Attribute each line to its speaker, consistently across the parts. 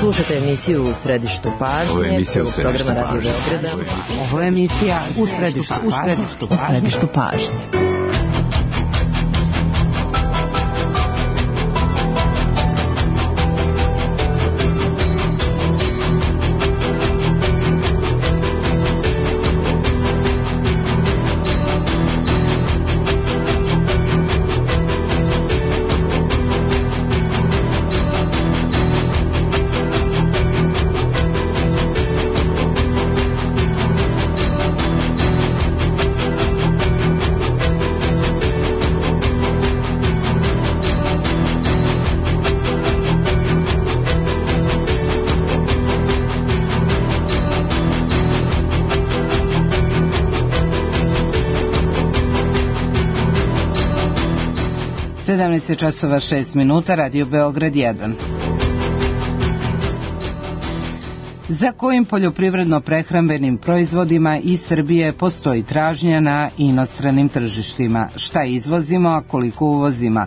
Speaker 1: Slušate emisiju U središtu pažnje, programa Radio Beograda.
Speaker 2: Ovo je emisija U središtu pažnje. Časova 6 minuta, Radio Beograd 1. Za kojim poljoprivredno-prehrambenim proizvodima iz Srbije postoji tražnja na inostranim tržištima? Šta izvozimo, a koliko uvozimo?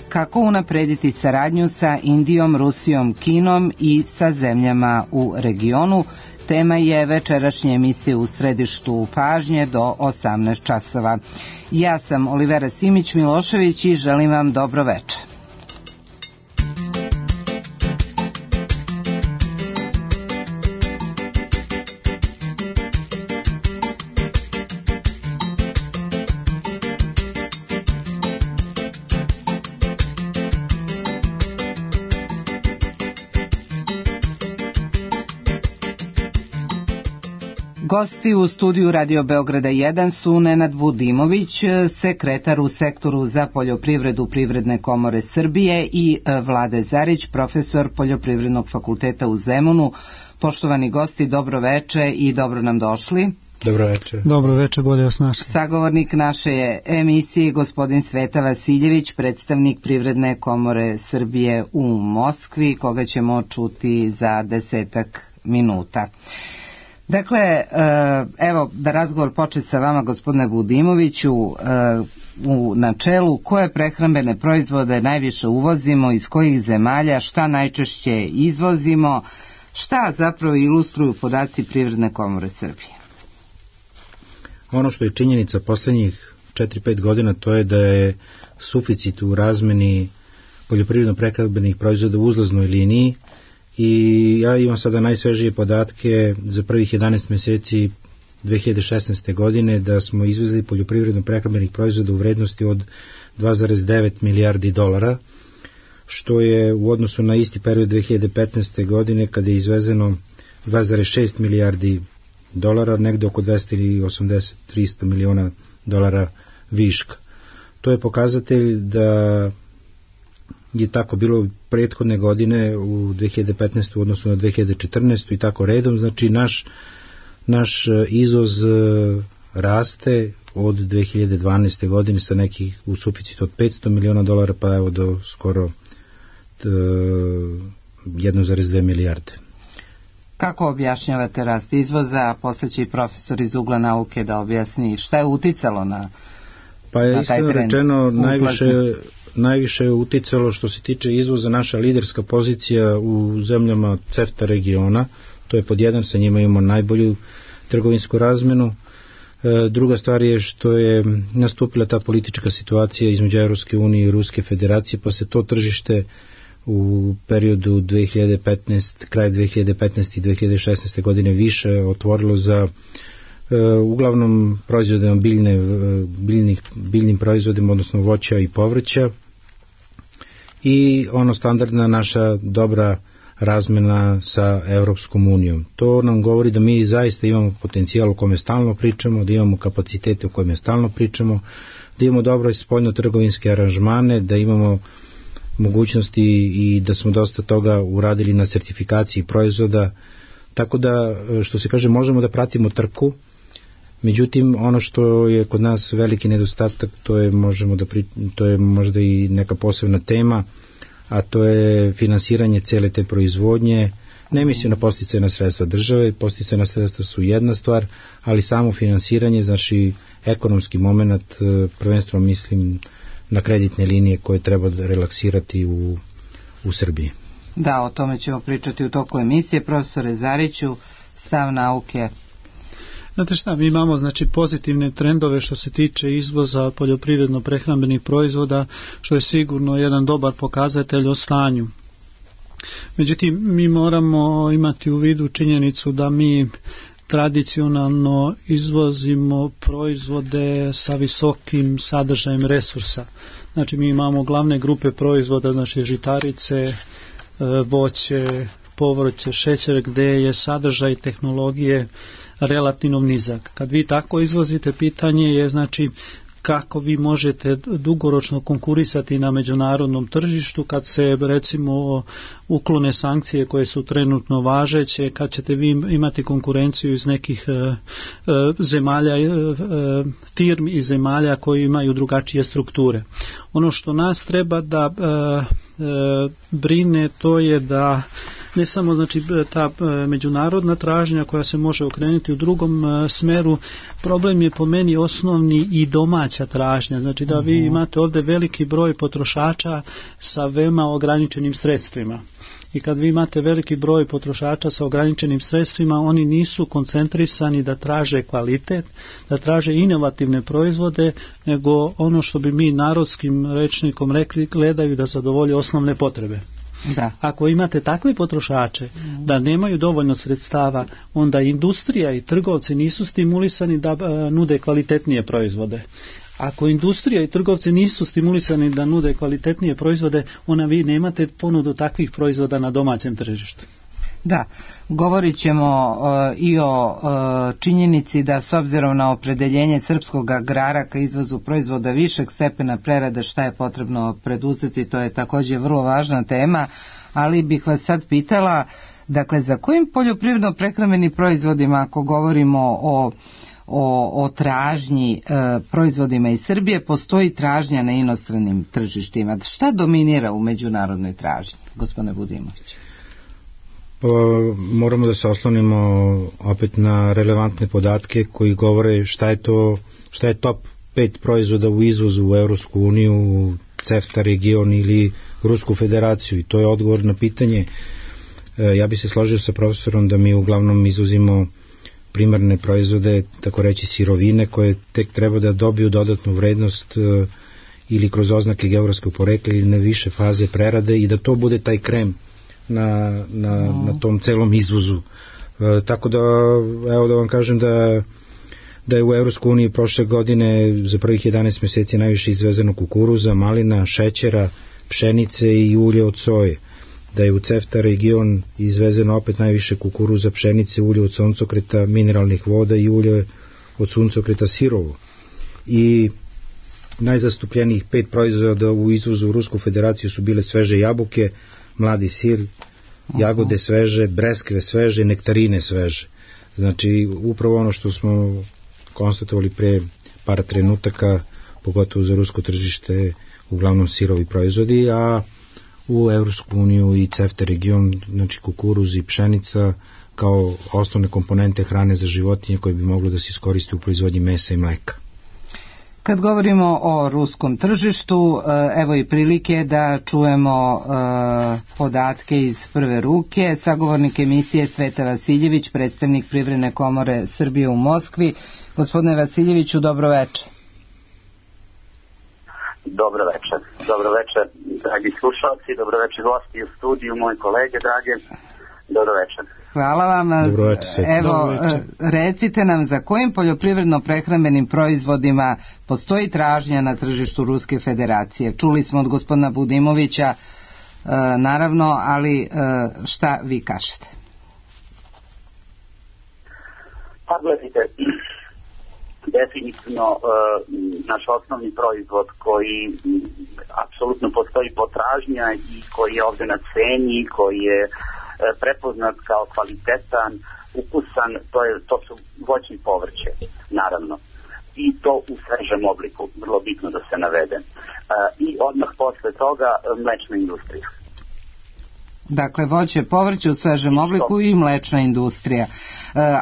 Speaker 2: Kako unaprediti saradnju sa Indijom, Rusijom, Kinom i sa zemljama u regionu? Tema je večerašnje emisije U središtu pažnje do 18 časova. Ja sam Olivera Simić-Milošević i želim vam dobro večer. Gosti u studiju Radio Beograda 1 su Nenad Budimović, sekretar u sektoru za poljoprivredu Privredne komore Srbije, i Vlade Zarić, profesor Poljoprivrednog fakulteta u Zemunu. Poštovani gosti, dobro veče i dobro nam došli.
Speaker 3: Dobro veče.
Speaker 4: Dobro veče, bolje vas našli.
Speaker 1: Sagovornik naše je emisije gospodin Sveta Vasiljević, predstavnik Privredne komore Srbije u Moskvi, koga ćemo čuti za 10 minuta. Dakle, evo da razgovor počne sa vama, gospodine Budimoviću, u načelu koje prehrambene proizvode najviše uvozimo, iz kojih zemalja, šta najčešće izvozimo, šta zapravo ilustruju podaci Privredne komore Srbije?
Speaker 3: Ono što je činjenica poslednjih 4-5 godina, to je da je suficit u razmeni poljoprivredno-prehrambenih proizvoda u uzlaznoj liniji. I ja imam sada najsvežije podatke za prvih 11 meseci 2016. godine da smo izvezli poljoprivredno-prehrambenih proizvoda u vrednosti od 2,9 milijardi dolara, što je u odnosu na isti period 2015. godine kada je izvezeno 2,6 milijardi dolara, negde oko 280-300 miliona dolara viška. To je pokazatelj da je tako bilo prethodne godine u 2015. u odnosu na 2014. i tako redom. Znači naš izvoz raste od 2012. godine sa nekih u suficitu od 500 miliona dolara pa evo do skoro 1,2 milijarde.
Speaker 1: Kako objašnjavate rast izvoza, a posle će i profesor iz ugla nauke da objasni šta je uticalo na
Speaker 3: pa je iskreno rečeno najviše je uticalo što se tiče izvoza naša liderska pozicija u zemljama CEFTA regiona, to je pod jedan, sa njima imamo najbolju trgovinsku razmenu. Druga stvar je što je nastupila ta politička situacija između Evropske unije i Ruske federacije, pa se to tržište u periodu 2015, kraj 2015. i 2016. godine više otvorilo za uglavnom proizvodima biljnim proizvodima, odnosno voća i povrća, i standardna naša dobra razmena sa Evropskom unijom. To nam govori da mi zaista imamo potencijal o kome stalno pričamo, da imamo kapacitete o kojima stalno pričamo, da imamo dobro spoljno-trgovinske aranžmane, da imamo mogućnosti i da smo dosta toga uradili na sertifikaciji proizvoda, tako da, što se kaže, možemo da pratimo trku. Međutim, ono što je kod nas veliki nedostatak, to je možda i neka posebna tema, a to je finansiranje cele te proizvodnje. Ne mislim na podsticajna sredstva države, podsticajna sredstva su jedna stvar, ali samo finansiranje, znači ekonomski moment, prvenstveno mislim na kreditne linije koje treba relaksirati u Srbiji.
Speaker 2: Da, o tome ćemo pričati u toku emisije. Profesore Zariću, stav nauke.
Speaker 4: Znate šta, mi imamo znači pozitivne trendove što se tiče izvoza poljoprivredno-prehrambenih proizvoda, što je sigurno jedan dobar pokazatelj o stanju. Međutim, mi moramo imati u vidu činjenicu da mi tradicionalno izvozimo proizvode sa visokim sadržajem resursa. Znači mi imamo glavne grupe proizvoda, znači žitarice, voće, povrće, šećer, gdje je sadržaj tehnologije relativno nizak. Kad vi tako izvozite, pitanje je znači kako vi možete dugoročno konkurisati na međunarodnom tržištu kad se recimo uklone sankcije koje su trenutno važeće, kad ćete vi imati konkurenciju iz nekih zemalja, firmi i zemalja koji imaju drugačije strukture. Ono što nas treba da brine, to je da ne samo znači ta međunarodna tražnja koja se može okrenuti u drugom smeru, problem je po meni osnovni i domaća tražnja, znači da vi imate ovdje veliki broj potrošača sa veoma ograničenim sredstvima. I kad vi imate veliki broj potrošača sa ograničenim sredstvima, oni nisu koncentrisani da traže kvalitet, da traže inovativne proizvode, nego ono što bi mi narodskim rečnikom rekli, gledaju da zadovolje osnovne potrebe. Da. Ako imate takve potrošače da nemaju dovoljno sredstava, onda industrija i trgovci nisu stimulisani da nude kvalitetnije proizvode. Ako industrija i trgovci nisu stimulisani da nude kvalitetnije proizvode, onda vi nemate ponudu takvih proizvoda na domaćem tržištu.
Speaker 2: Da, govorit ćemo i o činjenici da s obzirom na opredeljenje srpskog agrara ka izvozu proizvoda višeg stepena prerade, šta je potrebno preduzeti, to je također vrlo važna tema, ali bih vas sad pitala, dakle, za kojim poljoprivredno-prehrambenim proizvodima, ako govorimo o tražnji proizvodima iz Srbije, postoji tražnja na inostranim tržištima? Šta dominira u međunarodnoj tražnji, gospodine Budimović?
Speaker 3: Moramo da se oslonimo opet na relevantne podatke koji govore šta je top 5 proizvoda u izvozu u Evropsku uniju, CEFTA region ili Rusku federaciju, i to je odgovor na pitanje. Ja bi se složio sa profesorom da mi uglavnom izvozimo primarne proizvode, tako reći sirovine, koje tek treba da dobiju dodatnu vrednost ili kroz oznake geografskog porekla ili na više faze prerade, i da to bude taj krem na tom celom izvozu. Tako da, evo da vam kažem da je u Evropskoj uniji prošle godine za prvih 11 mjeseci najviše izvezeno kukuruza, malina, šećera, pšenice i ulje od soje. Da je u CEFTA region izvezeno opet najviše kukuruza, pšenice, ulje od suncokreta, mineralnih voda i ulje od suncokreta sirovo. I najzastupljenijih 5 proizvoda u izvozu u Rusku federaciju su bile sveže jabuke, mladi sir, jagode sveže, breskve sveže, nektarine sveže. Znači, upravo ono što smo konstatovali pre par trenutaka, pogotovo za rusko tržište, uglavnom sirovi proizvodi, a u Evropsku uniju i CEFTA region, znači kukuruz i pšenica kao osnovne komponente hrane za životinje koje bi moglo da se iskoriste u proizvodnji mesa i mleka.
Speaker 2: Kad govorimo o ruskom tržištu, evo i prilike da čujemo podatke iz prve ruke. Sagovornik emisije Sveta Vasiljević, predstavnik Privredne komore Srbije u Moskvi. Gospodine Vasiljeviću, dobro večer.
Speaker 5: Dobro večer, dragi slušalci, dobro večer gosti u studiju, moji kolege drage, dobro večer.
Speaker 2: Hvala vam. Evo, recite nam za kojim poljoprivredno-prehrambenim proizvodima postoji tražnja na tržištu Ruske federacije? Čuli smo od gospodina Budimovića, naravno, ali šta vi kažete?
Speaker 5: Pa gledajte, definitivno naš osnovni proizvod koji apsolutno postoji potražnja i koji je ovdje na ceni, koji je prepoznat kao kvalitetan, ukusan, to su voće i povrće, naravno. I to u svežem obliku, vrlo bitno da se navede. I odmah posle toga mlečna industrija.
Speaker 2: Dakle, voće, povrće u svežem obliku i mlečna industrija.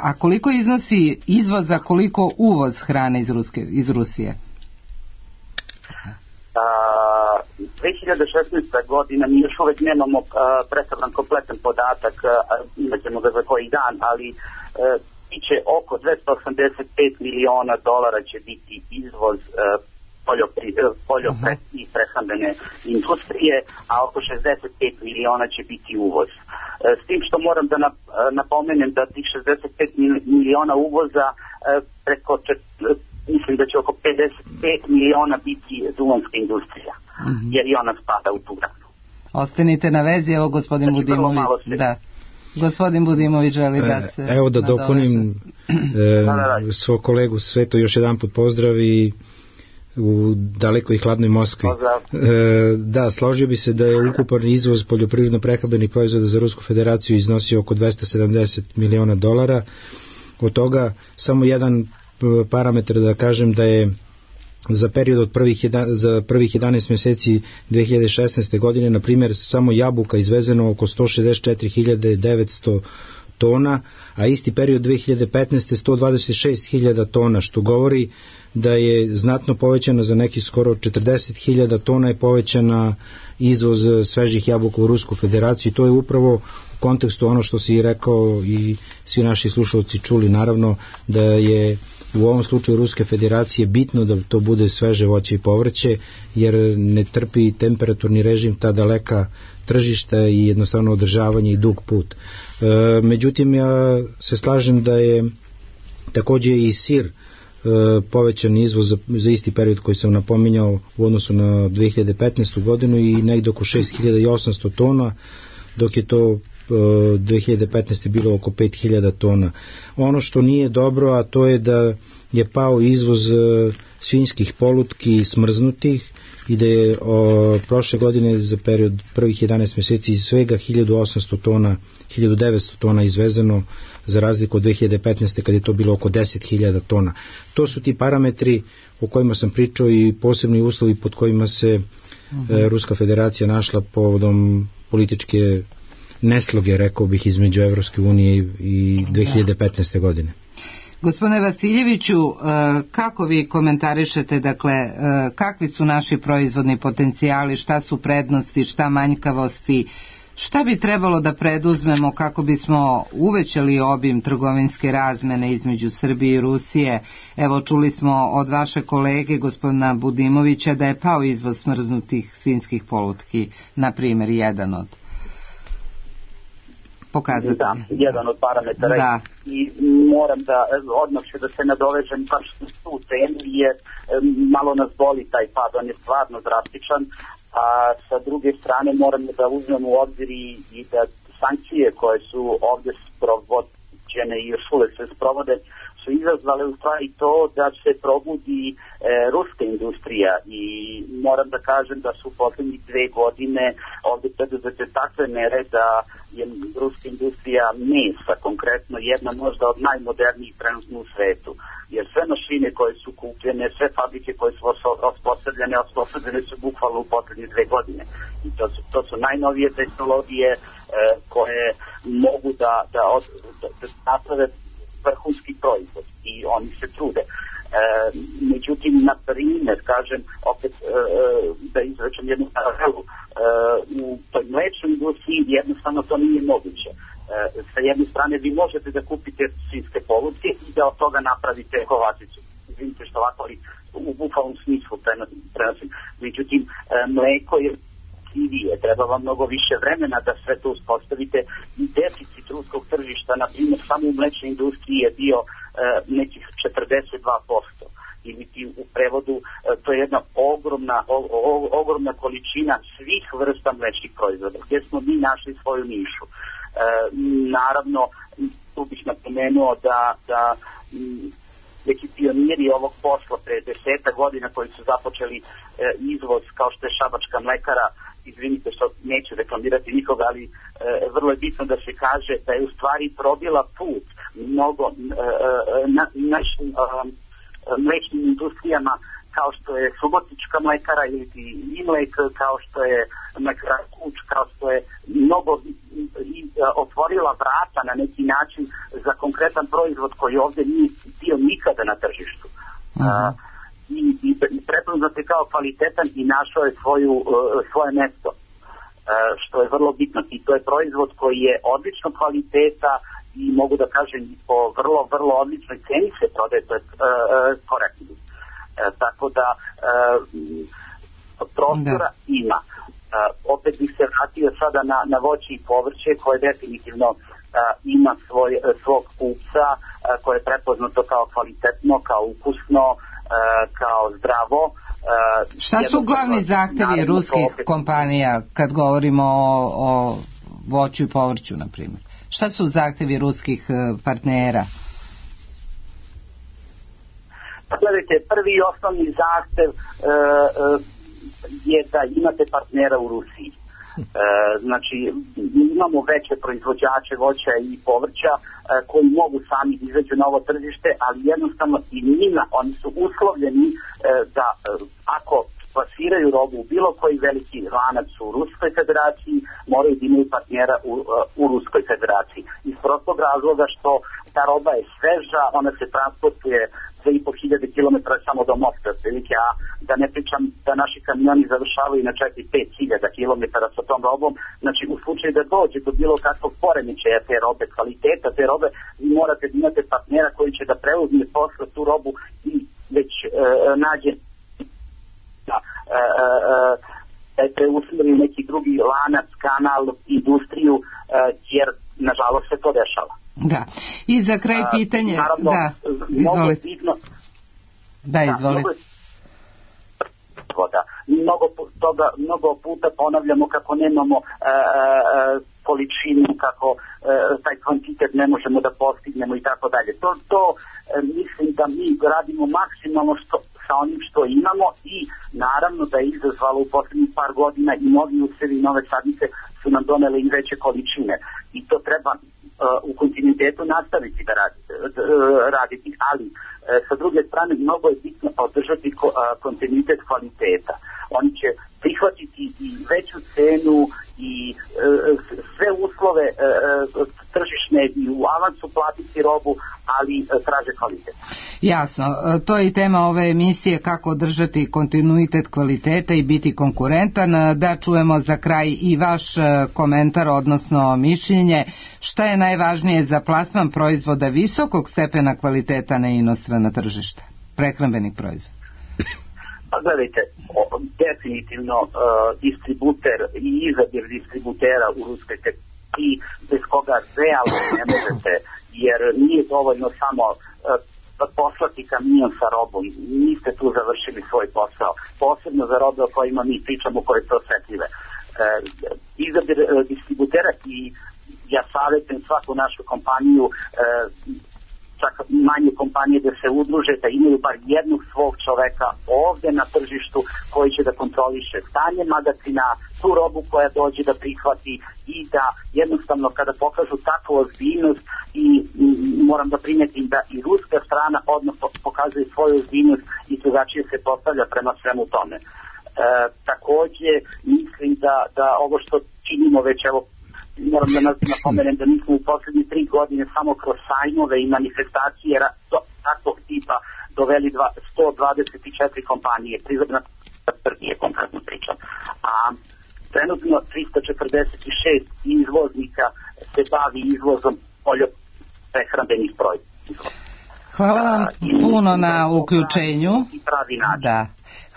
Speaker 2: A koliko iznosi izvoz, a koliko uvoz hrane iz Rusije?
Speaker 5: 2016. godina, mi još uvek nemamo predstavljan kompletan podatak, imaćemo ga za koji dan, ali biće oko 285 miliona dolara će biti izvoz i prehrambene industrije, a oko 65 miliona će biti uvoz. S tim što moram da napomenem da tih 65 miliona uvoza preko mislim da će oko 55 miliona biti duvanska industrija, jer i ona spada u tu granu.
Speaker 2: Ostanite na vezi, evo gospodin Budimović. Da. Gospodin Budimović želi da se...
Speaker 3: Evo da dopunim svog kolegu Sveto još jedan put pozdravi u dalekoj i hladnoj Moskvi. Da, složio bi se da je ukupan izvoz poljoprivredno-prehrambenih proizvoda za Rusku federaciju iznosio oko 270 miliona dolara. Od toga samo jedan parametar da kažem da je za period od prvih 11 mjeseci 2016. godine, na primjer, samo jabuka izvezeno oko 164.900 tona, a isti period 2015. 126.000 tona, što govori da je znatno povećana za neki skoro 40.000 tona je povećana izvoz svežih jabuka u Rusku federaciju. To je upravo u kontekstu ono što si rekao i svi naši slušalci čuli, naravno da je u ovom slučaju Ruske federacije bitno da to bude sveže voće i povrće, jer ne trpi temperaturni režim ta daleka tržišta i jednostavno održavanje i dug put. Međutim, ja se slažem da je također i sir povećan izvoz za isti period koji sam napominjao u odnosu na 2015. godinu i negdje oko 6.800 tona, dok je to 2015. bilo oko 5.000 tona. Ono što nije dobro, a to je da je pao izvoz svinjskih polutki smrznutih i da je prošle godine za period prvih 11 mjeseci svega 1900 tona izvezeno, za razliku od 2015. kad je to bilo oko 10.000 tona. To su ti parametri o kojima sam pričao i posebni uslovi pod kojima se Ruska federacija našla povodom političke nesloge, rekao bih, između Evropske unije i 2015. godine.
Speaker 2: Gospodine Vasiljeviću, kako vi komentarišete, dakle, kakvi su naši proizvodni potencijali, šta su prednosti, šta manjkavosti, šta bi trebalo da preduzmemo kako bismo uvećali obim trgovinske razmene između Srbije i Rusije? Evo, čuli smo od vaše kolege, gospodina Budimovića, da je pao izvoz smrznutih svinjskih polutki, na primjer, jedan od pokazati.
Speaker 5: Da, jedan od parametara. Da. I moram da odmah da se nadovežem baš na tu temu, jer malo nas boli taj pad, on je stvarno drastičan, a sa druge strane moramo da uzmemo u obzir i da sankcije koje su ovdje sprovođene i još uvek se sprovode su izazvale u stvari to da se probudi ruska industrija, i moram da kažem da su u posljednjih 2 godine ovdje preduzete takve mere da je ruska industrija mesa konkretno jedna možda od najmodernijih trenutno u svetu, jer sve mašine koje su kupljene, sve fabrike koje su osposobljene su bukvalno u posljednje 2 godine, i to su najnovije tehnologije koje mogu da naprave vrhunski proizvod, i oni se trude. Međutim, na primjer, kažem, opet da izrečem jednu paralelu, u toj mlečnoj industriji jednostavno to nije moguće. Sa jedne strane vi možete da kupite svinjske polutke i da od toga napravite kovaticu. Izvinite što ovako, ali u bukvalnom smislu prenosim. Međutim, mleko je treba vam mnogo više vremena da sve to uspostavite, i deficit ruskog tržišta, na primjer, samo u mlečnoj industriji je bio nekih 42%, ili u prevodu to je jedna ogromna količina svih vrsta mlečnih proizvoda, gdje smo mi našli svoju nišu. Naravno, tu bih napomenuo da neki pioniri ovog posla pre 10 godina koji su započeli izvoz, kao što je Šabačka mlekara, izvinite što neću reklamirati nikoga, ali vrlo je bitno da se kaže da je u stvari probila put mnogo našim mlečnim industrijama, kao što je Subotička mlekara ili Imlek, kao što je mlekara Kuč, kao što je mnogo otvorila vrata na neki način za konkretan proizvod koji ovdje nije bio nikada na tržištu. I i prepoznat je kao kvalitetan i našao je svoje mesto, što je vrlo bitno. I to je proizvod koji je odličnog kvaliteta i mogu da kažem po vrlo, vrlo odličnoj ceni se prodaje, to je korektno. Tako da prostora ima. Opet bih se vratio sada na voće i povrće koje definitivno ima svog kupca, koje je prepoznato kao kvalitetno, kao ukusno, kao zdravo.
Speaker 2: Šta su glavni zahtevi ruskih kompanija kad govorimo o voću i povrću, na primjer? Šta su zahtevi ruskih partnera?
Speaker 5: Pa gledajte, prvi i osnovni zahtev je da imate partnera u Rusiji. Znači, imamo veće proizvođače voća i povrća koji mogu sami izađu na ovo tržište, ali jednostavno i njima, oni su uslovljeni da ako plasiraju robu u bilo koji veliki lanac u Ruskoj federaciji, moraju da imaju partnera u Ruskoj federaciji. Iz prostog razloga što ta roba je sveža, ona se transportuje 2.500 km samo do Moskve, otprilike, a da ne pričam da naši kamioni završavaju na 4-5.000 km sa tom robom. Znači, u slučaju da dođe do bilo kakvog poremećaja te robe, kvaliteta te robe, vi morate da imate partnera koji će da preuzme posle tu robu i već nađe da je preusmeri u neki drugi lanac, kanal, industriju, jer nažalost se to dešava.
Speaker 2: Da. I za kraj pitanje,
Speaker 5: naravno,
Speaker 2: da, izvolite. Izvolite.
Speaker 5: Mnogo puta ponavljamo kako nemamo količinu, kako taj kvantitet ne možemo da postignemo i tako dalje. To mislim da mi radimo maksimalno sa onim što imamo i naravno da je izazvalo u posljednjih par godina i novi usevi i nove sadnice su nam donele i veće količine i to treba u kontinuitetu nastaviti da raditi, ali sa druge strane mnogo je bitno održati kontinuitet kvaliteta. Oni će prihvatiti i veću cenu i sve uslove tržišne i u avansu platiti robu, ali traže kvalitet.
Speaker 2: Jasno, to je i tema ove emisije, kako održati kontinuitet kvaliteta i biti konkurentan. Da čujemo za kraj i vaš komentar, odnosno mišljenje, šta je najvažnije za plasman proizvoda visokog stepena kvaliteta na inostrana tržišta, prehrambenih proizvoda?
Speaker 5: Pa gledajte, definitivno distributer i izabir distributera u Ruskoj i bez koga realno ne možete, jer nije dovoljno samo poslati kamion sa robom, niste tu završili svoj posao, posebno za robe o kojima mi pričamo, koje su osetljive. Izabir distributera i ja savjetujem svaku našu kompaniju, čak manje kompanije da se udruže, da imaju bar jednog svog čoveka ovde na tržištu koji će da kontroliše stanje magacina, tu robu koja dođe da prihvati i da jednostavno kada pokažu takvu ozbiljnost i moram da primetim da i ruska strana odmah pokazuje svoju ozbiljnost i drugačije se postavlja prema svemu tome. Takođe mislim da ovo što činimo već moram da napomenem da mi smo u poslednje 3 godine samo kroz sajmove i manifestacije takvog tipa doveli 124 kompanije, prizorna Srbije konkretno pričam, a trenutno 346 izvoznika se bavi izvozom poljoprehrambenih proizvoda.
Speaker 2: Hvala vam puno na uključenju. Da.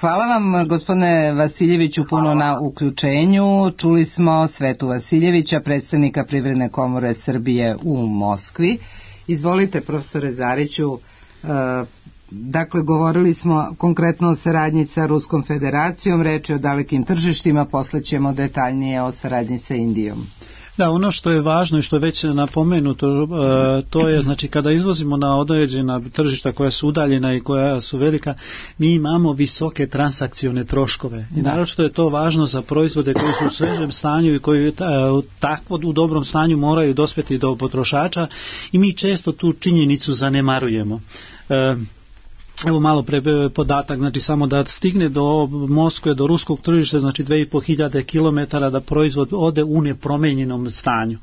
Speaker 2: Hvala vam, gospodine Vasiljeviću, puno na uključenju. Čuli smo Svetu Vasiljevića, predstavnika Privredne komore Srbije u Moskvi. Izvolite, profesore Zariću, dakle, govorili smo konkretno o saradnji sa Ruskom federacijom, reč je o dalekim tržištima, posle ćemo detaljnije o saradnji sa Indijom.
Speaker 4: Da, ono što je važno i što je već napomenuto, to je, znači, kada izvozimo na određena tržišta koja su udaljena i koja su velika, mi imamo visoke transakcione troškove. I naravno što je to važno za proizvode koji su u svežem stanju i koji takvo u dobrom stanju moraju dospjeti do potrošača i mi često tu činjenicu zanemarujemo. Evo malo pre podatak, znači samo da stigne do Moskve, do ruskog tržišta, znači 2500 km da proizvod ode u nepromenjenom stanju.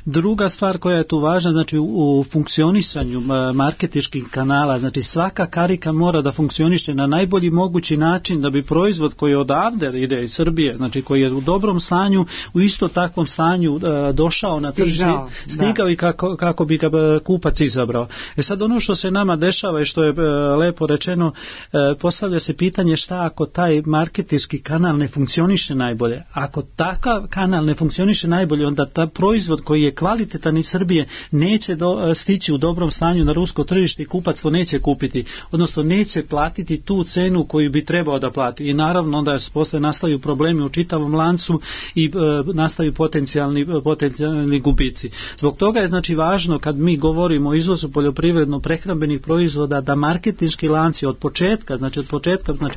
Speaker 4: Druga stvar koja je tu važna, znači u funkcionisanju marketinških kanala, znači svaka karika mora da funkcioniše na najbolji mogući način da bi proizvod koji odavde ide iz Srbije, znači koji je u dobrom stanju, u isto takvom stanju došao na tržište, stigao i kako bi ga kupac izabrao. Sad ono što se nama dešava i što je lepo rečeno, postavlja se pitanje šta ako taj marketinški kanal ne funkcioniše najbolje. Ako takav kanal ne funkcioniše najbolje, onda ta proizvod koji je kvalitetan iz Srbije neće stići u dobrom stanju na rusko tržište i kupac to neće kupiti, odnosno neće platiti tu cenu koju bi trebao da plati. I naravno onda posle nastaju problemi u čitavom lancu i nastaju potencijalni gubici. Zbog toga je znači važno kad mi govorimo o izvozu poljoprivredno prehrambenih proizvoda da marketinški lanci od početka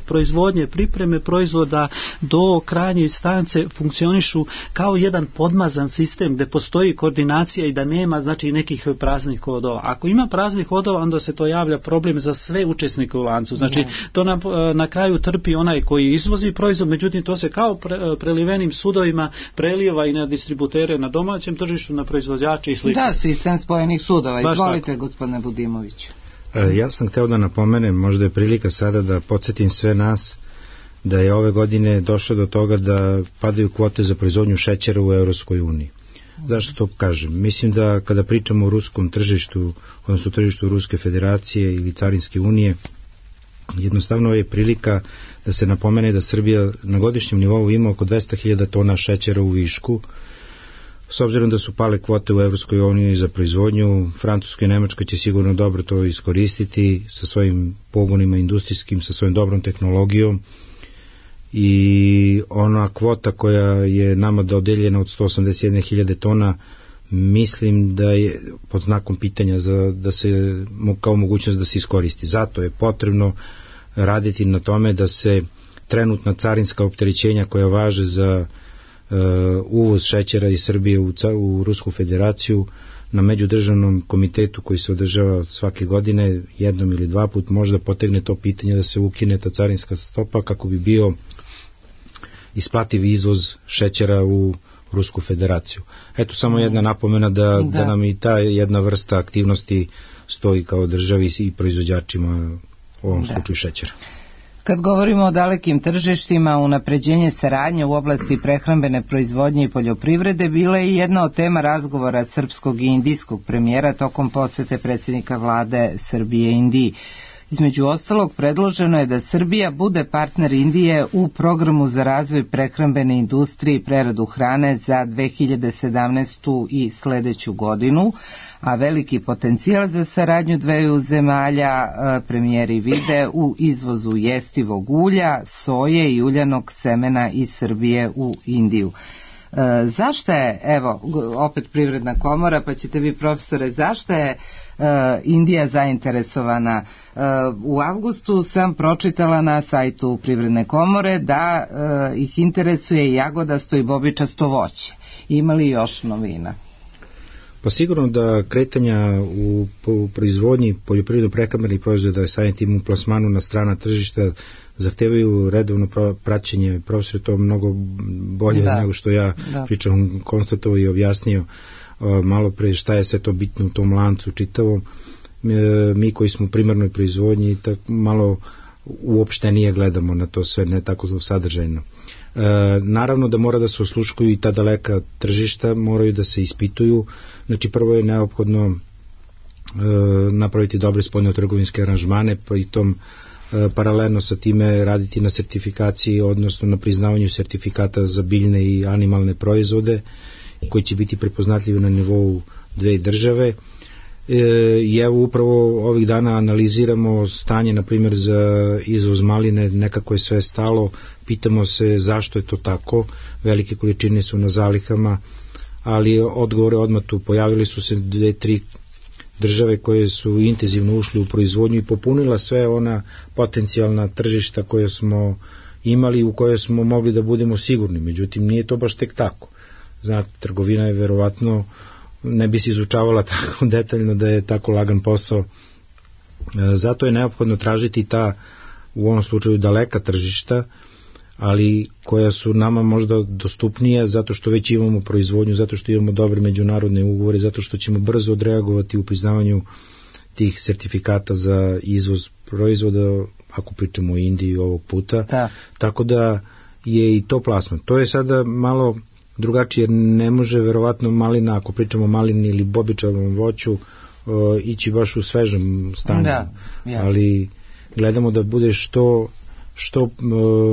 Speaker 4: proizvodnje, pripreme proizvoda do krajnje instance funkcionišu kao jedan podmazan sistem gde postoji koordinacija i da nema znači nekih praznih hodova. Ako ima praznih hodova, onda se to javlja problem za sve učesnike u lancu. Znači to na kraju trpi onaj koji izvozi proizvod, međutim to se kao prelivenim sudovima prelijeva i na distributere na domaćem tržištu, na proizvođače i slično.
Speaker 1: Da, sistem spojenih sudova. Izvolite, gospodine Budimović.
Speaker 3: Ja sam hteo da napomenem, možda je prilika sada da podsjetim sve nas da je ove godine došlo do toga da padaju kvote za proizvodnju šećera u Evropskoj uniji. Zašto to kažem? Mislim da kada pričamo o ruskom tržištu, odnosno tržištu Ruske federacije ili Carinske unije, jednostavno je prilika da se napomene da Srbija na godišnjem nivou ima oko 200.000 tona šećera u višku. S obzirom da su pale kvote u Evropskoj uniji za proizvodnju, Francuska i Nemačka će sigurno dobro to iskoristiti sa svojim pogonima industrijskim, sa svojom dobrom tehnologijom, i ona kvota koja je nama dodeljena od 181.000 tona, mislim da je pod znakom pitanja da se kao mogućnost da se iskoristi. Zato je potrebno raditi na tome da se trenutna carinska opterećenja koja važe za uvoz šećera iz Srbije u Rusku federaciju na međudržavnom komitetu koji se održava svake godine jednom ili dva put možda potegne to pitanje da se ukine ta carinska stopa kako bi bio isplativ izvoz šećera u Rusku federaciju. Eto samo jedna napomena da nam i ta jedna vrsta aktivnosti stoji kao državi i proizvođačima u ovom slučaju šećera.
Speaker 1: Kad govorimo o dalekim tržištima, unapređenje saradnje u oblasti prehrambene proizvodnje i poljoprivrede bila je jedna od tema razgovora srpskog i indijskog premijera tokom posete predsjednika vlade Srbije Indiji. Između ostalog, predloženo je da Srbija bude partner Indije u programu za razvoj prehrambene industrije i preradu hrane za 2017. i sledeću godinu, a veliki potencijal za saradnju dveju zemalja premijeri vide u izvozu jestivog ulja, soje i uljanog semena iz Srbije u Indiju. Zašto je, evo, opet Privredna komora, pa ćete vi, profesore, zašto je Indija zainteresovana? U avgustu sam pročitala na sajtu Privredne komore da ih interesuje jagodasto i bobičasto voće. Ima li još novina?
Speaker 3: Pa sigurno da kretanja u proizvodnji poljoprivredno prehrambenih proizvoda, samim tim u plasmanu na strana tržišta, zahtevaju redovno praćenje. Profesor je to mnogo bolje nego što ja pričam, konstatovao i objasnio malo pre šta je sve to bitno u tom lancu čitavom. Mi koji smo u primarnoj proizvodnji malo uopštenije gledamo na to sve, ne tako sadržajno. Naravno da mora da se osluškuju i ta daleka tržišta, moraju da se ispituju. Znači prvo je neophodno napraviti dobre spoljno-trgovinske aranžmane, pritom paralelno sa time raditi na sertifikaciji, odnosno na priznavanju sertifikata za biljne i animalne proizvode koji će biti prepoznatljivi na nivou dve države. I evo upravo ovih dana analiziramo stanje, na primjer za izvoz maline, nekako je sve stalo, pitamo se zašto je to tako, velike količine su na zalihama, ali odgovore odmah tu, pojavili su se 2-3 države koje su intenzivno ušli u proizvodnju i popunila sve ona potencijalna tržišta koje smo imali, u koje smo mogli da budemo sigurni, međutim nije to baš tek tako. Znate, trgovina je verovatno, ne bi se izučavala tako detaljno da je tako lagan posao Zato je neophodno tražiti ta, u ovom slučaju, daleka tržišta, ali koja su nama možda dostupnije zato što već imamo proizvodnju, zato što imamo dobre međunarodne ugovore, zato što ćemo brzo odreagovati u priznavanju tih sertifikata za izvoz proizvoda, ako pričamo o Indiji ovog puta. Da. Tako da je i to plasman. To je sada malo drugačije, jer ne može verovatno malina, ako pričamo o malini ili bobičavom voću, ići baš u svežem stanju. Da, ali gledamo da bude što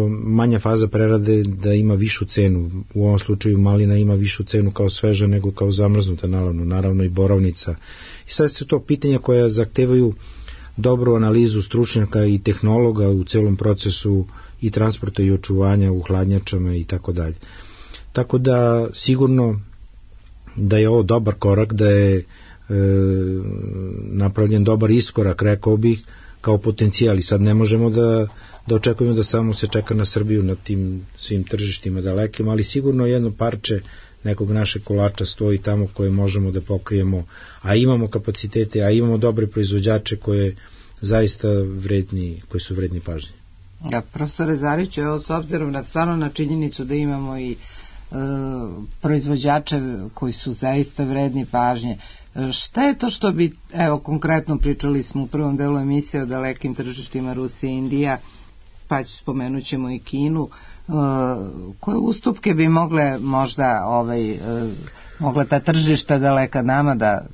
Speaker 3: manja faza prerade, da ima višu cenu. U ovom slučaju malina ima višu cenu kao sveža nego kao zamrznuta, naravno i borovnica. I sad su to pitanja koja zahtevaju dobru analizu stručnjaka i tehnologa u celom procesu i transporta i očuvanja u hladnjačama i tako dalje. Tako da sigurno da je ovo dobar korak, da je napravljen dobar iskorak, rekao bih, kao potencijal. I sad ne možemo da očekujemo da samo se čeka na Srbiju na tim svim tržištima dalekim, ali sigurno jedno parče nekog našeg kolača stoji tamo koje možemo da pokrijemo, a imamo kapacitete, a imamo dobre proizvođače koje zaista koji su vredni pažnje.
Speaker 2: Ja, profesore Zariću, evo, s obzirom na činjenicu da imamo i proizvođače koji su zaista vredni pažnje, šta je to što bi, evo, konkretno pričali smo u prvom delu emisije o dalekim tržištima Rusija i Indija, pa spomenut ćemo i Kinu, koje ustupke bi mogle možda mogla ta tržišta daleka nama da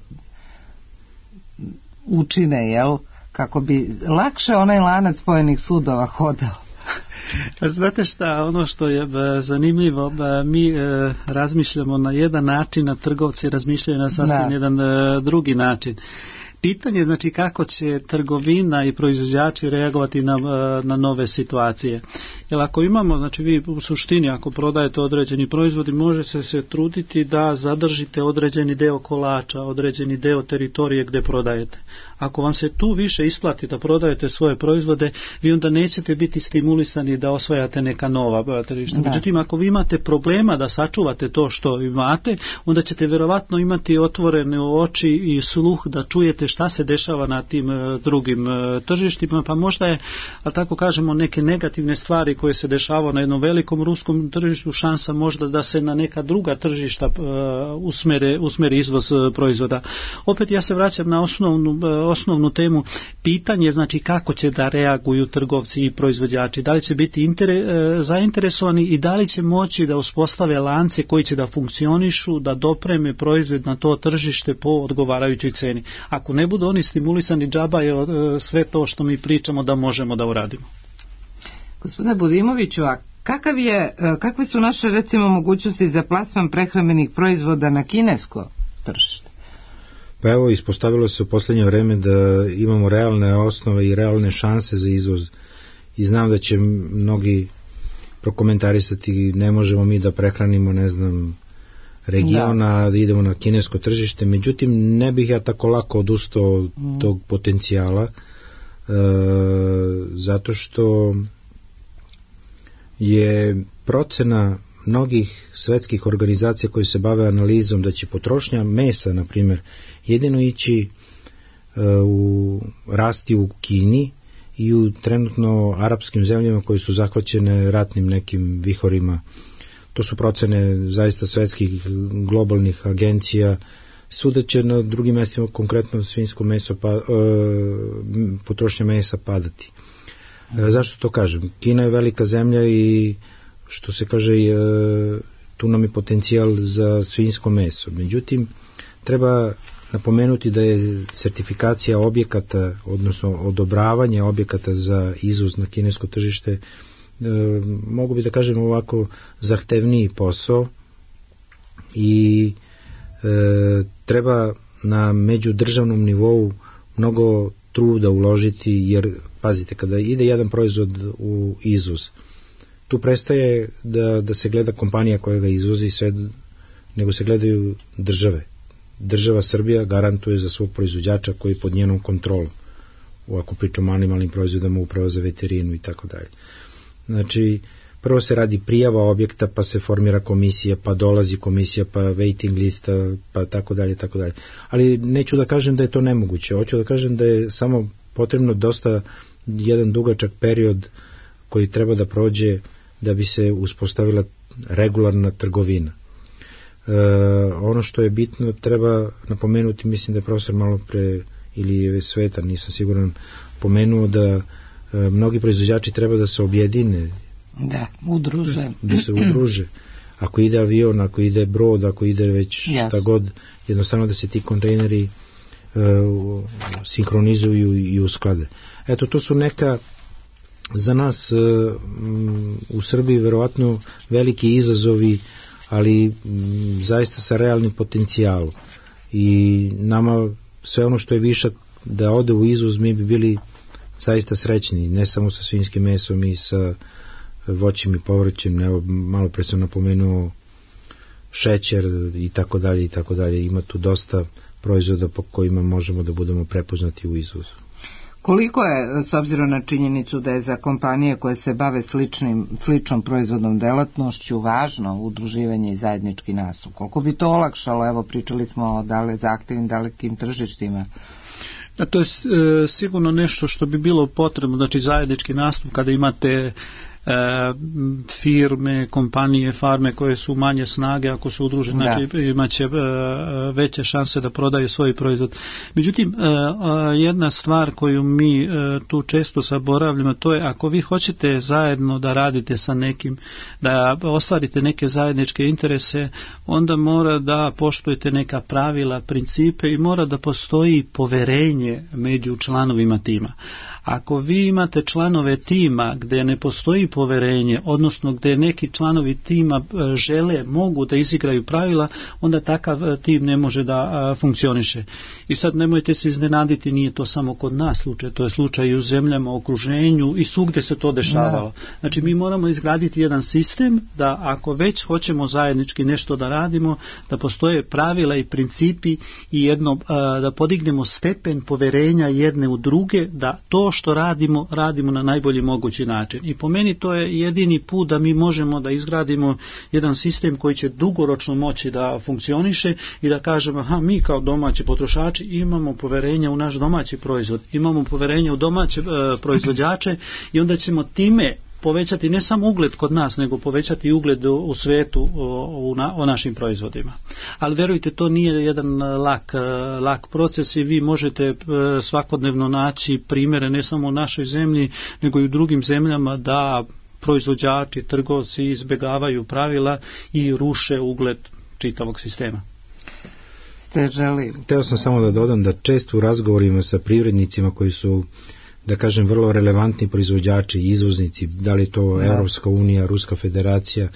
Speaker 2: učine, jel, kako bi lakše onaj lanac spojenih sudova hodao?
Speaker 4: Znate šta, ono što je zanimljivo, mi razmišljamo na jedan način, a trgovci razmišljaju na sasvim jedan drugi način. Pitanje je, znači, kako će trgovina i proizvođači reagovati na nove situacije. Jer ako imamo, znači vi u suštini ako prodajete određeni proizvodi, možete se truditi da zadržite određeni deo kolača, određeni deo teritorije gde prodajete. Ako vam se tu više isplati da prodajete svoje proizvode, vi onda nećete biti stimulisani da osvajate neka nova tržišta. Međutim, ako vi imate problema da sačuvate to što imate, onda ćete verovatno imati otvorene oči i sluh da čujete šta se dešava na tim drugim tržištima, pa možda je, ali tako kažemo, neke negativne stvari koje se dešavaju na jednom velikom ruskom tržištu, šansa možda da se na neka druga tržišta usmeri izvoz proizvoda. Opet ja se vraćam na osnovnu temu, pitanje, znači kako će da reaguju trgovci i proizvođači, da li će biti zainteresovani i da li će moći da uspostave lance koji će da funkcionišu, da dopreme proizvod na to tržište po odgovarajućoj ceni. Ako ne budu oni stimulisani, džaba je sve to što mi pričamo da možemo da uradimo.
Speaker 2: Gospodine Budimoviću, a kakve su naše, recimo, mogućnosti za plasman prehrambenih proizvoda na kinesko tržište?
Speaker 3: Pa evo, ispostavilo se u poslednje vreme da imamo realne osnove i realne šanse za izvoz i znam da će mnogi prokomentarisati, ne možemo mi da prehranimo, ne znam, regiona, da idemo na kinesko tržište, međutim ne bih ja tako lako odustao od tog potencijala, zato što je procena mnogih svetskih organizacija koje se bave analizom da će potrošnja mesa, na primjer, jedino ići rasti u Kini i u trenutno arapskim zemljama koje su zahvaćene ratnim nekim vihorima. To su procene zaista svetskih globalnih agencija. Svuda će na drugim mestima, konkretno svinjsko meso, potrošnja mesa padati. Zašto to kažem? Kina je velika zemlja i što se kaže, tu nam je potencijal za svinjsko meso. Međutim, treba napomenuti da je sertifikacija objekata, odnosno odobravanje objekata za izvoz na kinesko tržište, mogu bi da kažem ovako, zahtevniji posao i treba na međudržavnom nivou mnogo truda uložiti, jer pazite, kada ide jedan proizvod u izvoz, tu prestaje da se gleda kompanija koja ga izvozi sve, nego se gledaju države. Država Srbija garantuje za svog proizvođača koji je pod njenom kontrolom, ako pričamo o animalnim proizvodama, uprava za veterinu i tako dalje. Znači, prvo se radi prijava objekta, pa se formira komisija, pa dolazi komisija, pa waiting lista, pa tako dalje, tako dalje. Ali neću da kažem da je to nemoguće, hoću da kažem da je samo potrebno dosta jedan dugačak period koji treba da prođe da bi se uspostavila regularna trgovina. Ono što je bitno treba napomenuti, mislim da je profesor malo pre ili je Sveta, nisam siguran, pomenuo da mnogi proizvođači treba da se objedine, da se udruže. Ako ide avion, ako ide brod, ako ide već šta god, jednostavno da se ti kontejneri sinhronizuju i usklade. Eto, to su neka za nas u Srbiji verovatno veliki izazovi, ali zaista sa realnim potencijalom. I nama sve ono što je višak da ode u izvoz, mi bi bili zaista srećni, ne samo sa svinjskim mesom i sa voćem i povrćem. Evo, malo pre sam napomenuo šećer i tako dalje i tako dalje. Ima tu dosta proizvoda po kojima možemo da budemo prepoznati u izvozu.
Speaker 2: Koliko je, s obzirom na činjenicu da je za kompanije koje se bave sličnom proizvodnom delatnošću važno udruživanje i zajednički nastup? Koliko bi to olakšalo? Evo, pričali smo o zahtevnim dalekim tržištima.
Speaker 4: To je sigurno nešto što bi bilo potrebno, znači zajednički nastup kada imate firme, kompanije, farme koje su manje snage, ako se udruže, znači imaće veće šanse da prodaju svoj proizvod. Međutim, jedna stvar koju mi tu često zaboravljamo, to je ako vi hoćete zajedno da radite sa nekim, da ostvarite neke zajedničke interese, onda mora da poštujete neka pravila, principe i mora da postoji poverenje među članovima tima. Ako vi imate članove tima gdje ne postoji poverenje, odnosno gdje neki članovi tima mogu da izigraju pravila, onda takav tim ne može da funkcioniše. I sad nemojte se iznenaditi, nije to samo kod nas slučaj, to je slučaj i u zemljama, okruženju i svugdje se to dešavalo. Znači mi moramo izgraditi jedan sistem da ako već hoćemo zajednički nešto da radimo, da postoje pravila i principi i da podignemo stepen poverenja jedne u druge, da to što radimo na najbolji mogući način. I po meni to je jedini put da mi možemo da izgradimo jedan sistem koji će dugoročno moći da funkcioniše i da kažemo, mi kao domaći potrošači imamo poverenja u naš domaći proizvod, imamo poverenja u domaće proizvođače i onda ćemo time povećati ne samo ugled kod nas, nego povećati ugled u svetu o našim proizvodima. Ali verujte, to nije jedan lak proces i vi možete svakodnevno naći primjere ne samo u našoj zemlji, nego i u drugim zemljama da proizvođači, trgovci izbjegavaju pravila i ruše ugled čitavog sistema.
Speaker 3: Hteo sam samo da dodam da često u razgovorima sa privrednicima koji su, da kažem, vrlo relevantni proizvođači i izvoznici, da li je to Evropska unija, Ruska federacija,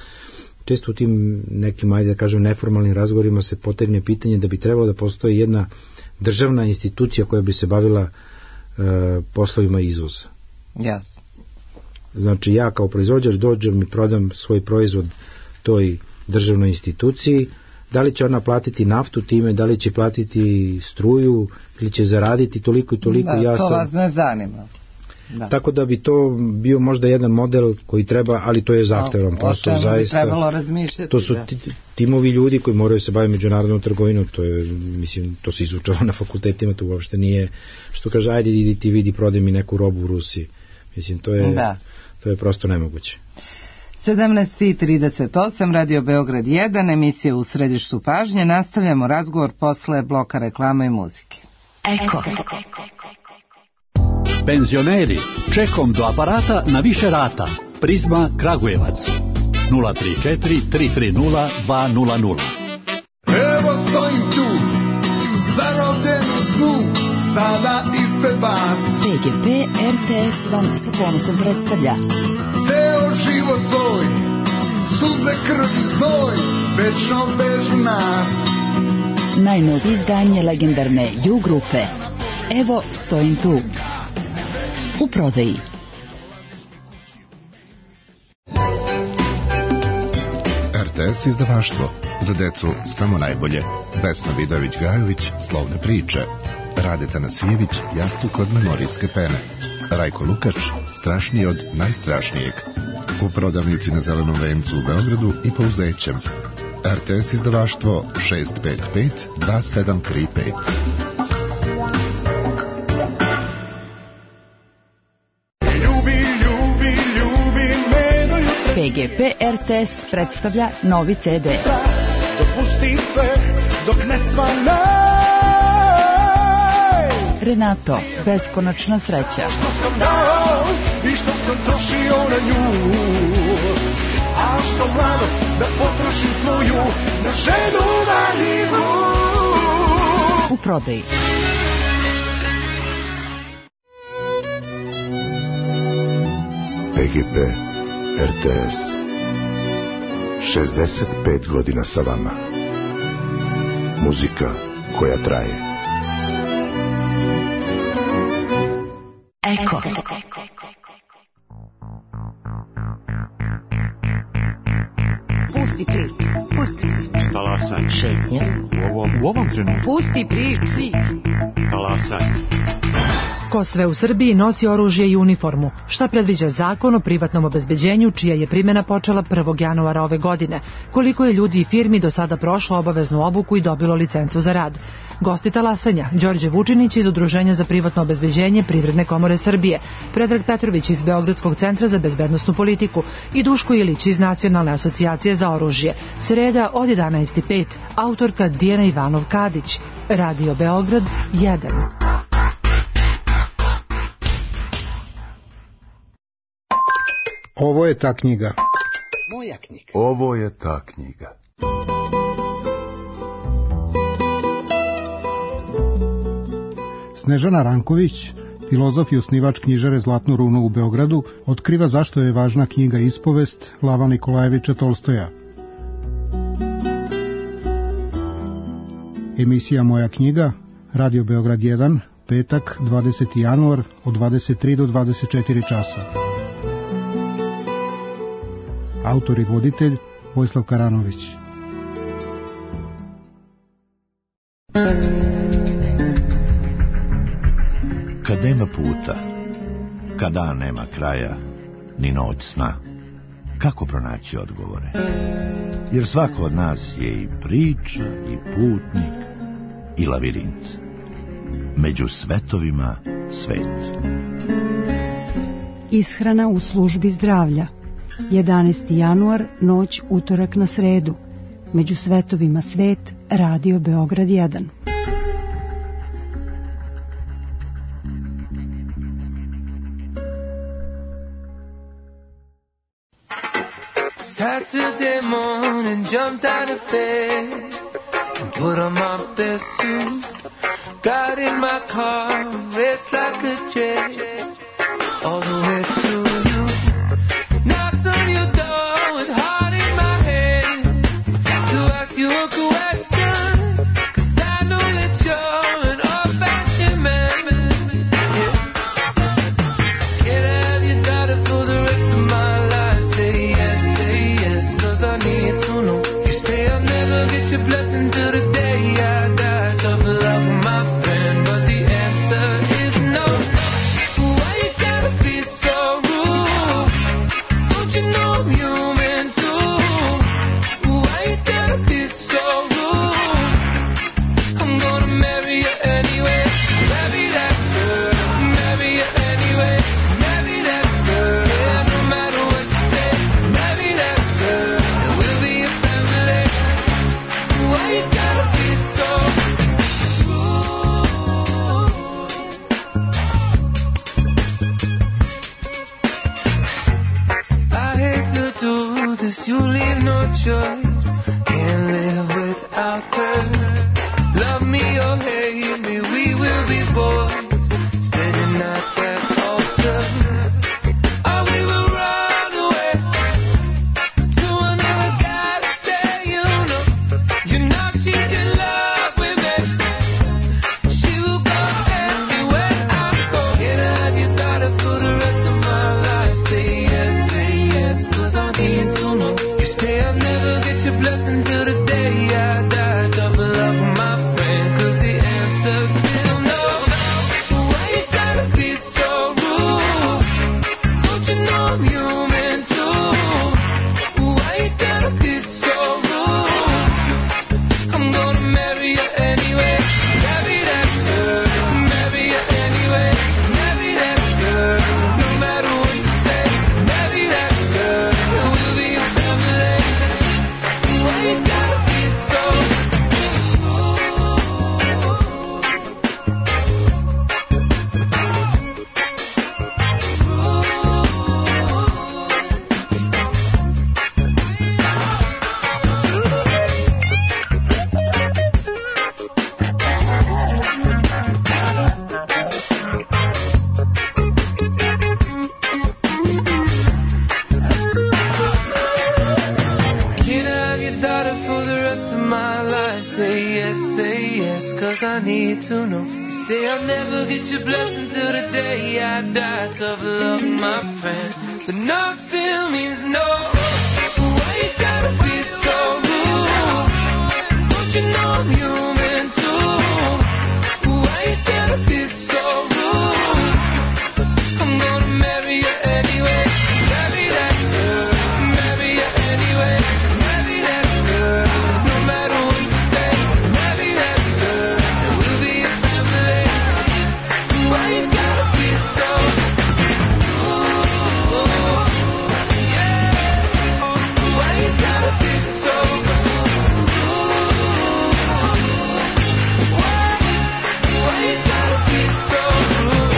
Speaker 3: često u tim nekim, ajde da kažem, neformalnim razgovorima se potegne pitanje da bi trebalo da postoji jedna državna institucija koja bi se bavila poslovima izvoza.
Speaker 2: Jasno.
Speaker 3: Znači ja kao proizvođač dođem i prodam svoj proizvod toj državnoj instituciji, da li će ona platiti naftu time, da li će platiti struju ili će zaraditi toliko i toliko.
Speaker 2: To vas ne zanima.
Speaker 3: Tako da bi to bio možda jedan model koji treba, ali to je zahtevan posao, zaista.
Speaker 2: Trebalo razmišljati.
Speaker 3: To su timovi ljudi koji moraju se baviti međunarodnom trgovinom, to je, mislim, to se izučava na fakultetima, to uopšte nije, što kaže, ajde idi ti vidi, prodaj mi neku robu u Rusiji. Mislim, to je prosto nemoguće.
Speaker 2: 17:38, Radio Beograd 1, emisija U središtu pažnje. Nastavljamo razgovor posle bloka reklama i muzike.
Speaker 6: Eko. Penzioneri, čekom do aparata na više rata. Prizma Kragujevac 034 330 200.
Speaker 7: Evo stojim tu, zarobljen u snu, sada ispred vas.
Speaker 8: PGP RTS vam sa ponosom predstavlja
Speaker 7: ceo život svoj, suze, krv i znoj, večno vežu nas.
Speaker 8: Najnovije izdanje legendarne Ju grupe. Evo stojim tu. U prodaji.
Speaker 9: RTS izdavaštvo. Za decu samo najbolje. Vesna Vidović-Gajović, Slovne priče. Radeta Nasijević, Jastuk od memorijske pene. Rajko Lukač, Strašniji od najstrašnijeg. U prodavnici na Zelenom vencu u Beogradu i Pouzećem. RTS izdavaštvo 655 2735.
Speaker 8: PGP RTS predstavlja novi CD.
Speaker 7: Dopusti sve dok ne svane.
Speaker 8: Renato, beskonačna sreća.
Speaker 7: Što sam dao i što sam trošio na nju, a što mladost da potrošim svoju na ženu maninu.
Speaker 8: U prodaji.
Speaker 9: PGP RTS 65 godina sa vama. Muzika koja traje.
Speaker 8: Eko.
Speaker 1: Pusti prič.
Speaker 10: Talasaj.
Speaker 1: Šetnja.
Speaker 10: U ovom trenutku.
Speaker 1: Pusti prič.
Speaker 10: Talasaj.
Speaker 11: Ko sve u Srbiji nosi oružje i uniformu? Šta predviđa zakon o privatnom obezbeđenju, čija je primjena počela 1. januara ove godine? Koliko je ljudi i firmi do sada prošlo obaveznu obuku i dobilo licencu za rad? Gosti talasanja: Đorđe Vučinić iz Udruženja za privatno obezbeđenje Privredne komore Srbije, Predrag Petrović iz Beogradskog centra za bezbednosnu politiku i Duško Ilić iz Nacionalne asocijacije za oružje. Sreda od 11:05. Autorka Dijana Ivanov-Kadić. Radio Beograd 1.
Speaker 12: Ovo je ta knjiga.
Speaker 1: Moja knjiga.
Speaker 9: Ovo je ta knjiga.
Speaker 12: Snežana Ranković, filozof i osnivač knjižare Zlatnu runu u Beogradu, otkriva zašto je važna knjiga Ispovest Lava Nikolajevića Tolstoja. Emisija Moja knjiga, Radio Beograd 1, petak, 20. januar, od 23 do 24 časa. Autor i voditelj Vojislav Karanović.
Speaker 13: Kad nema puta, kad dan nema kraja, ni noć sna, kako pronaći odgovore? Jer svako od nas je i priča, i putnik, i lavirint. Među svetovima svet.
Speaker 14: Ishrana u službi zdravlja. 11. januar, noć utorak na sredu. Među svetovima svet, Radio Beograd 1.
Speaker 15: Saturday morning, jumped out of bed, put on my best suit, got in my car, raced like a jet, all the way to you. Knocked on your door with heart in my head to ask you a question, 'cause I know that you're an old-fashioned man. Yeah. Can I have your daughter for the rest of my life? Say yes, 'cause I need to know. You say I'll never get your blessing till the day I die. Tough love with my friend, but the answer is no. Why you gotta be so rude? starter for the rest of my life. Say yes, cause I need to know. You say I'll never get your blessing till the day I die. Tough luck, my friend, but no still means no. Why you gotta be so rude? Don't you know I'm human too? Why you gotta be so rude? I'm gonna marry you anyway. Marry that girl, marry you anyway. Marry that girl, no matter what you say. Marry that girl, we'll be a family. Why you gotta be so rude? Yeah. Why you gotta be so rude? Why you gotta be so rude?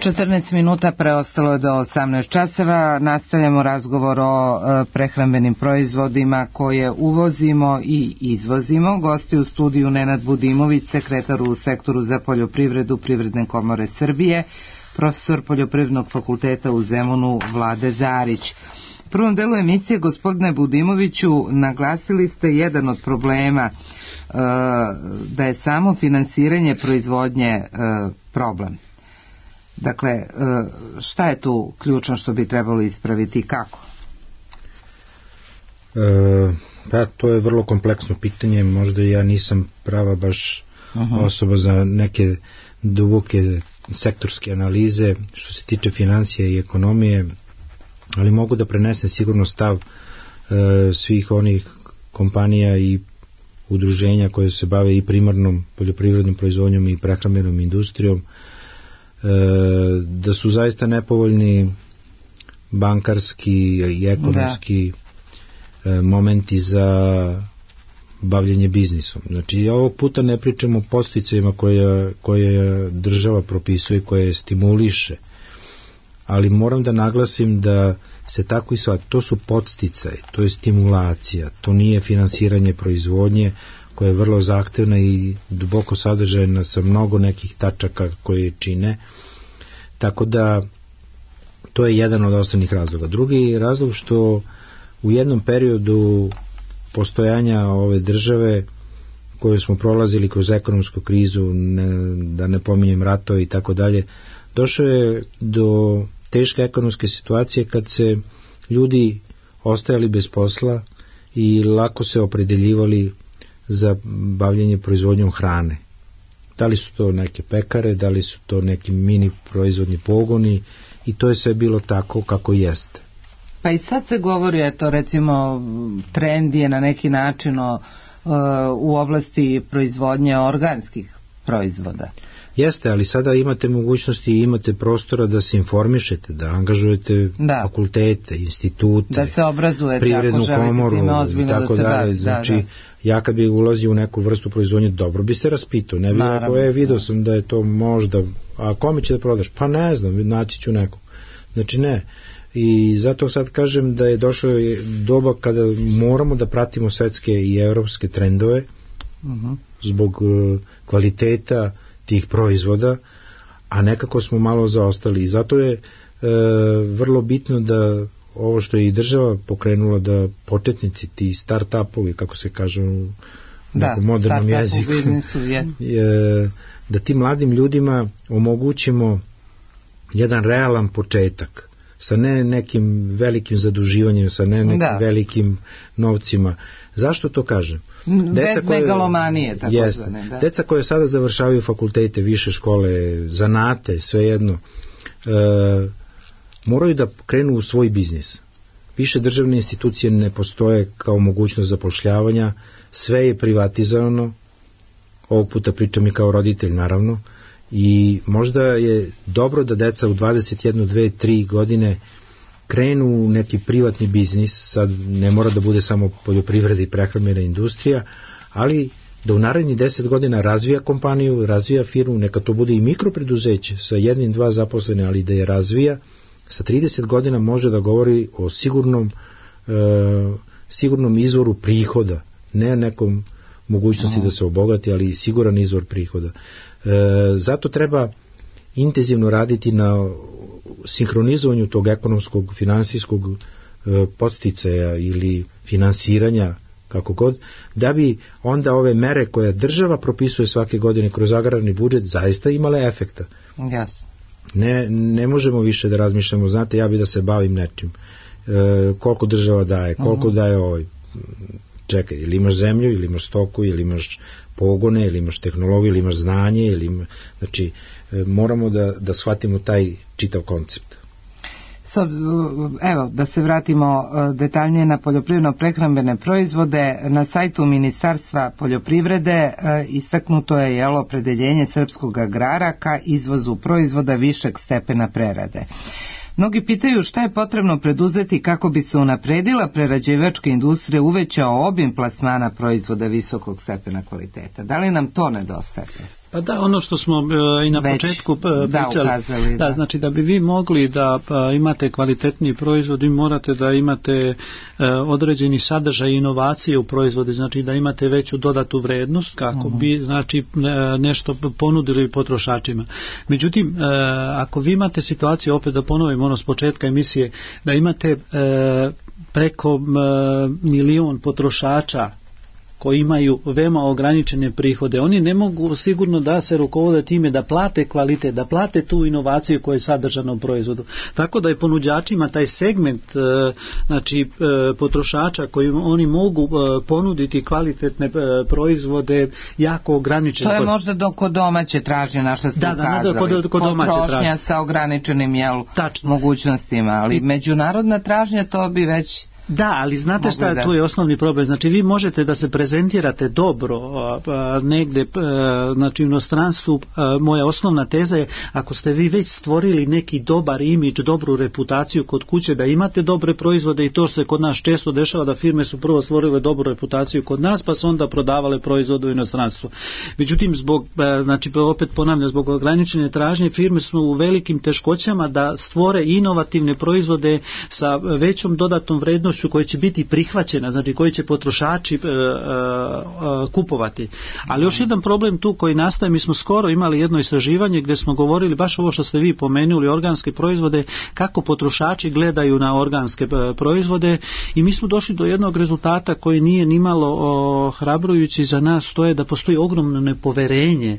Speaker 2: 14 minuta preostalo je do 18 časova. Nastavljamo razgovor o prehrambenim proizvodima koje uvozimo i izvozimo. Gosti u studiju Nenad Budimović, sekretar u sektoru za poljoprivredu Privredne komore Srbije, profesor Poljoprivrednog fakulteta u Zemunu Vlade Zarić. U prvom delu emisije, gospodine Budimoviću, naglasili ste jedan od problema, da je samo finansiranje proizvodnje problem. Dakle, šta je tu ključno što bi trebalo ispraviti i kako?
Speaker 3: Pa to je vrlo kompleksno pitanje, možda ja nisam prava baš osoba za neke duboke sektorske analize što se tiče financija i ekonomije, ali mogu da prenesem sigurno stav svih onih kompanija i udruženja koje se bave i primarnom poljoprivrednom proizvodnjom i prehrambenom industrijom, da su zaista nepovoljni bankarski i ekonomski momenti za bavljenje biznisom. Znači, ovog puta ne pričamo o podsticajima koje država propisuje, koje stimuliše, ali moram da naglasim da se tako i shvati, to su podsticaji, to je stimulacija, to nije finansiranje proizvodnje koja je vrlo zahtevna i duboko sadržajna sa mnogo nekih tačaka koje čine, tako da to je jedan od osnovnih razloga. Drugi razlog što u jednom periodu postojanja ove države koju smo prolazili kroz ekonomsku krizu, da ne pominjem ratove i tako dalje, došlo je do teške ekonomske situacije kad se ljudi ostajali bez posla i lako se opredeljivali za bavljenje proizvodnjom hrane. Da li su to neke pekare, da li su to neki mini proizvodni pogoni, i to je sve bilo tako kako jeste.
Speaker 2: Pa i sad se govori, eto recimo trend je na neki način u oblasti proizvodnje organskih proizvoda.
Speaker 3: Jeste, ali sada imate mogućnosti i imate prostora da se informišete, da angažujete fakultete, institute,
Speaker 2: da se obrazujete,
Speaker 3: privrednu komoru i tako dalje. Znači, ja kad bih ulazio u neku vrstu proizvodnje, dobro bi se raspitao, ne bih rekao, vidio sam da je to možda, a kome će da prodaš? Pa ne znam, naći ću nekog. Znači ne. I zato sad kažem da je došlo doba kada moramo da pratimo svetske i evropske trendove zbog kvaliteta tih proizvoda, a nekako smo malo zaostali, i zato je vrlo bitno da ovo što je i država pokrenula, da početnici, ti start-upovi, kako se kaže u nekom modernom jeziku, da tim mladim ljudima omogućimo jedan realan početak, sa ne nekim velikim zaduživanjem, sa ne nekim velikim novcima. Zašto to kažem?
Speaker 2: Bez megalomanije, tako zvane.
Speaker 3: Deca koje sada završavaju fakultete, više škole, zanate, svejedno, moraju da krenu u svoj biznis. Više državne institucije ne postoje kao mogućnost zapošljavanja, sve je privatizovano, ovog puta pričam i kao roditelj naravno, i možda je dobro da deca u 21, 2, 3 godine krenu u neki privatni biznis, sad ne mora da bude samo poljoprivreda i prehrambena industrija, ali da u narednih 10 godina razvija kompaniju, razvija firmu, neka to bude i mikropreduzeće sa 1-2 zaposlene, ali da je razvija, sa 30 godina može da govori o sigurnom izvoru prihoda, ne nekom mogućnosti da se obogati, ali i siguran izvor prihoda. Zato treba intenzivno raditi na sinhronizovanju tog ekonomskog, finansijskog podsticaja ili finansiranja, kako god, da bi onda ove mere koje država propisuje svake godine kroz agrarni budžet zaista imale efekta.
Speaker 1: Jasno.
Speaker 3: Ne možemo više da razmišljamo, znate, ja bi da se bavim nečim. Koliko država daje, koliko daje ovaj. Čekaj, ili imaš zemlju, ili imaš stoku, ili imaš pogone, ili imaš tehnologiju, ili imaš znanje, znači moramo da shvatimo taj čitav koncept.
Speaker 1: Evo, da se vratimo detaljnije na poljoprivredno-prehrambene proizvode. Na sajtu Ministarstva poljoprivrede istaknuto je opredeljenje srpskog agrara ka izvozu proizvoda višeg stepena prerade. Mnogi pitaju šta je potrebno preduzeti kako bi se unapredila prerađivačka industrija, uvećao obim plasmana proizvoda visokog stepena kvaliteta. Da li nam to nedostaje?
Speaker 4: Pa da, ono što smo i na početku pričali,
Speaker 1: ukazali,
Speaker 4: znači da bi vi mogli da imate kvalitetniji proizvod, vi morate da imate određeni sadržaj i inovacije u proizvode, znači da imate veću dodatu vrednost kako bi znači nešto ponudili potrošačima. Međutim, ako vi imate situaciju, opet da ponovim ono s početka emisije, da imate preko milion potrošača koji imaju veoma ograničene prihode, oni ne mogu sigurno da se rukovode time da plate kvalitet, da plate tu inovaciju koja je sadržana u proizvodu. Tako da je ponuđačima taj segment znači potrošača koji oni mogu ponuditi kvalitetne proizvode jako ograničen.
Speaker 1: To je možda kod domaće tražnje, naša ste ukazali.
Speaker 4: Kod
Speaker 1: potrošnja sa ograničenim mogućnostima, ali međunarodna tražnja to bi već...
Speaker 4: Da, ali znate šta je tu je osnovni problem. Znači vi možete da se prezentirate dobro negde, znači u inostranstvu. Moja osnovna teza je, ako ste vi već stvorili neki dobar imidž, dobru reputaciju kod kuće, da imate dobre proizvode, i to se kod nas često dešava da firme su prvo stvorile dobru reputaciju kod nas, pa su onda prodavale proizvode u inostranstvu. Međutim, znači opet ponavljam, zbog ograničene tražnje firme smo u velikim teškoćama da stvore inovativne proizvode sa većom dodatnom vrednošću koje će biti prihvaćena, znači koji će potrošači kupovati. Ali još jedan problem tu koji nastaje, mi smo skoro imali jedno istraživanje gdje smo govorili baš ovo što ste vi pomenuli, organske proizvode, kako potrošači gledaju na organske proizvode, i mi smo došli do jednog rezultata koji nije nimalo ohrabrujući za nas, to je da postoji ogromno nepoverenje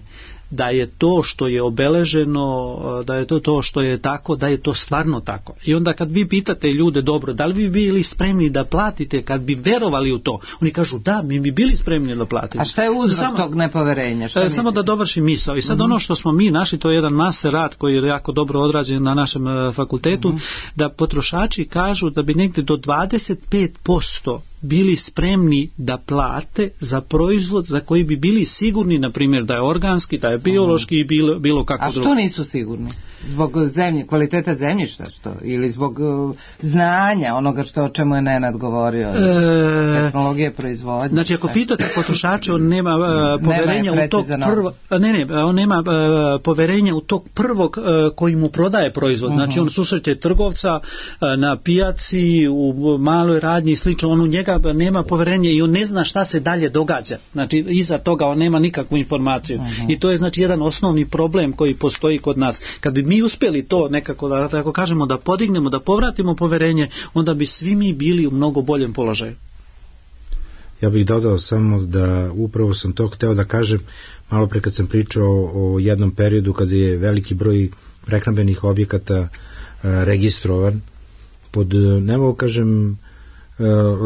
Speaker 4: da je to što je obeleženo, da je to što je tako, da je to stvarno tako. I onda kad vi pitate ljude, dobro, da li bi bili spremni da platite kad bi verovali u to? Oni kažu da, mi bi bili spremni da platimo.
Speaker 1: A šta je uzrok tog nepoverenja?
Speaker 4: Samo da dovršim misao. I sad ono što smo mi našli, to je jedan master rad koji je jako dobro odrađen na našem fakultetu, da potrošači kažu da bi negdje do 25% bili spremni da plate za proizvod za koji bi bili sigurni, na primjer, da je organski, da je biološki i bilo kako drugo.
Speaker 1: A što nisu sigurni? Zbog kvaliteta zemljišta, što? Ili zbog znanja onoga o čemu je Nenad govorio? Tehnologije proizvodnje?
Speaker 4: Znači, ako pitate potrošača, on nema poverenja u tog prvog... on nema poverenja u tog prvog koji mu prodaje proizvod. Znači, on susreće trgovca na pijaci, u maloj radnji i slično, on u njega nema poverenja i on ne zna šta se dalje događa. Znači, iza toga on nema nikakvu informaciju. I to je, znači, jedan osnovni problem koji postoji kod nas. Kad bi mi uspjeli to nekako, da tako kažemo, da podignemo, da povratimo poverenje, onda bi svi mi bili u mnogo boljem položaju.
Speaker 3: Ja bih dodao samo da upravo sam to hteo da kažem malo pre kad sam pričao o jednom periodu kada je veliki broj prehrambenih objekata registrovan pod, ne mogu kažem,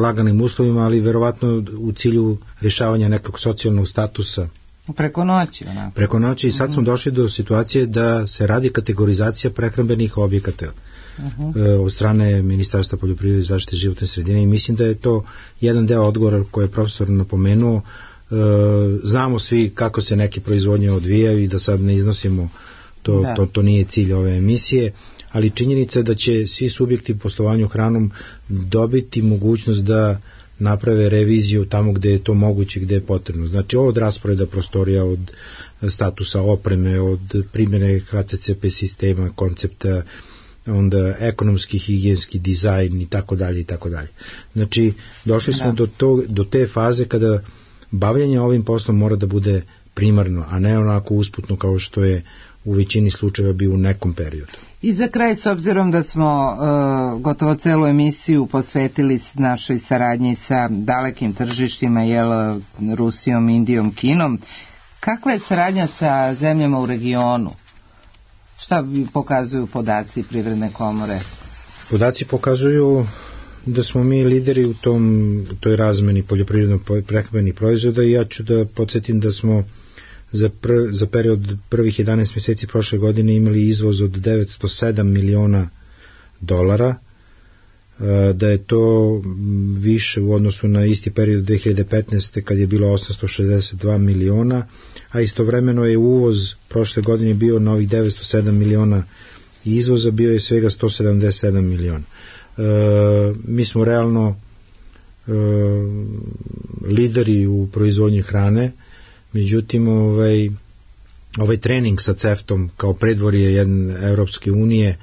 Speaker 3: laganim uslovima, ali verovatno u cilju rješavanja nekog socijalnog statusa.
Speaker 1: Preko noći. Onako.
Speaker 3: Preko noći, i sad smo došli do situacije da se radi kategorizacija prehrambenih objekata od strane Ministarstva poljoprivrede i zaštite životne sredine, i mislim da je to jedan deo odgovora koji je profesor napomenuo. Znamo svi kako se neke proizvodnje odvijaju i da sad ne iznosimo to nije cilj ove emisije, ali činjenica je da će svi subjekti u poslovanju hranom dobiti mogućnost da naprave reviziju tamo gde je to moguće, gde je potrebno. Znači od rasporeda prostorija, od statusa opreme, od primjene HCCP sistema, koncepta, onda ekonomski, higijenski dizajn i tako dalje i tako dalje. Znači došli smo do te faze kada bavljanje ovim poslom mora da bude primarno, a ne onako usputno kao što je u većini slučajeva bio u nekom periodu.
Speaker 2: I za kraj, s obzirom da smo gotovo celu emisiju posvetili našoj saradnji sa dalekim tržištima, Rusijom, Indijom, Kinom, kakva je saradnja sa zemljama u regionu? Šta pokazuju podaci Privredne komore?
Speaker 3: Podaci pokazuju da smo mi lideri u toj razmeni poljoprivredno-prehrambenih proizvoda i ja ću da podsjetim da smo za period prvih 11 mjeseci prošle godine imali izvoz od $907 miliona, da je to više u odnosu na isti period 2015. kad je bilo 862 miliona, a istovremeno je uvoz prošle godine bio na ovih 907 miliona i izvoza bio je svega 177 miliona. Mi smo realno lideri u proizvodnji hrane, međutim ovaj trening sa CEFTA-om kao predvorje jedne Evropske unije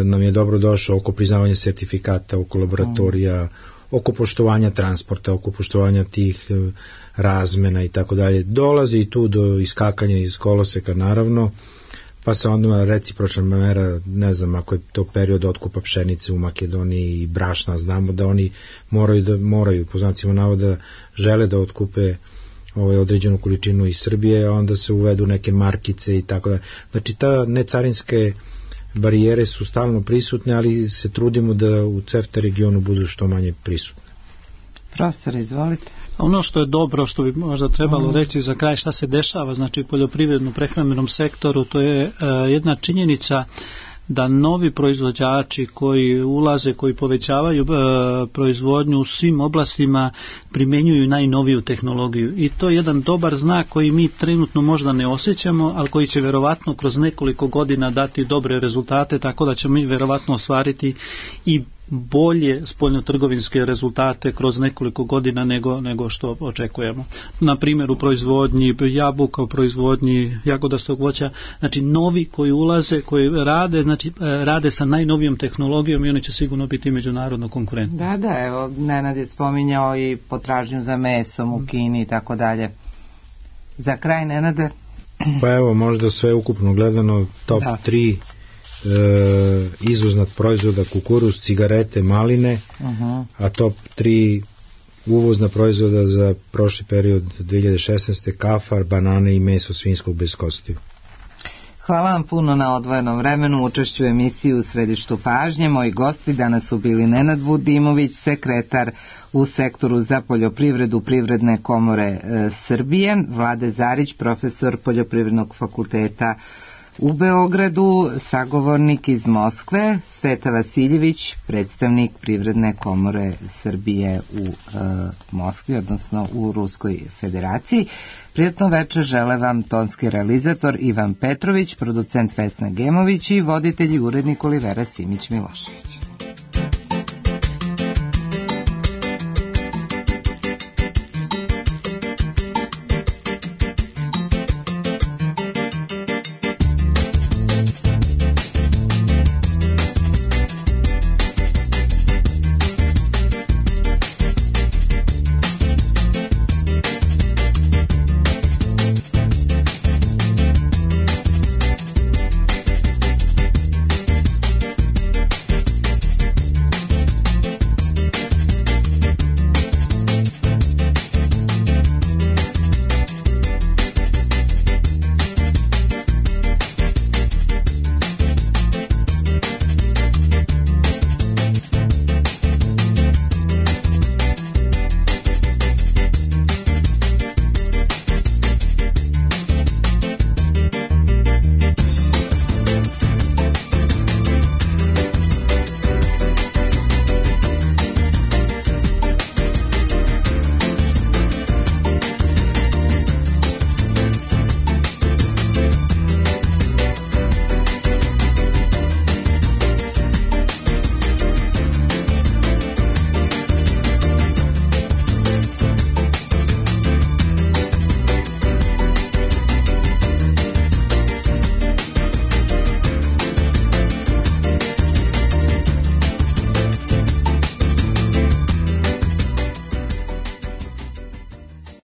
Speaker 3: nam je dobro došao oko priznavanja sertifikata, oko laboratorija, oko poštovanja transporta, oko poštovanja tih razmena i tako dalje. Dolazi i tu do iskakanja iz koloseka naravno, pa se onda recipročna mera, ne znam, ako je to period otkupa pšenice u Makedoniji i brašna, znamo da oni moraju po znacima navoda žele da otkupe određenu količinu iz Srbije, a onda se uvedu neke markice i tako da. Znači ta necarinske barijere su stalno prisutne, ali se trudimo da u CEFTA regionu budu što manje prisutne.
Speaker 2: Profesor, izvolite.
Speaker 4: Ono što je dobro, što bi možda trebalo reći za kraj šta se dešava, znači u poljoprivredno-prehrambenom sektoru, to je jedna činjenica da novi proizvođači koji ulaze, koji povećavaju proizvodnju u svim oblastima primjenjuju najnoviju tehnologiju i to je jedan dobar znak koji mi trenutno možda ne osjećamo, ali koji će verovatno kroz nekoliko godina dati dobre rezultate, tako da ćemo mi verovatno ostvariti i bolje spoljnotrgovinske rezultate kroz nekoliko godina nego što očekujemo. Na primjer u proizvodnji jabuka, u proizvodnji jagodastog voća, znači novi koji ulaze, koji rade, znači rade sa najnovijom tehnologijom i oni će sigurno biti međunarodno konkurentni.
Speaker 2: Da, evo Nenad je spominjao i potražnju za mesom u Kini i tako dalje. Za kraj, Nenade?
Speaker 3: Pa evo, možda sve ukupno gledano top 3 izvozna proizvoda: kukuruz, cigarete, maline, a top 3 uvozna proizvoda za prošli period 2016. kafar, banane i meso svinjskog bez kostiju.
Speaker 2: Hvala vam puno na odvojenom vremenu, učešću u emisiji U središtu pažnje. Moji gosti danas su bili Nenad Vudimović, sekretar u sektoru za poljoprivredu Privredne komore Srbije, Vlade Zarić, profesor Poljoprivrednog fakulteta u Beogradu, sagovornik iz Moskve, Sveta Vasiljević, predstavnik Privredne komore Srbije u Moskvi, odnosno u Ruskoj federaciji. Prijatno večer žele vam tonski realizator Ivan Petrović, producent Vesna Gemović i voditelj i urednik Olivera Simić-Milošević.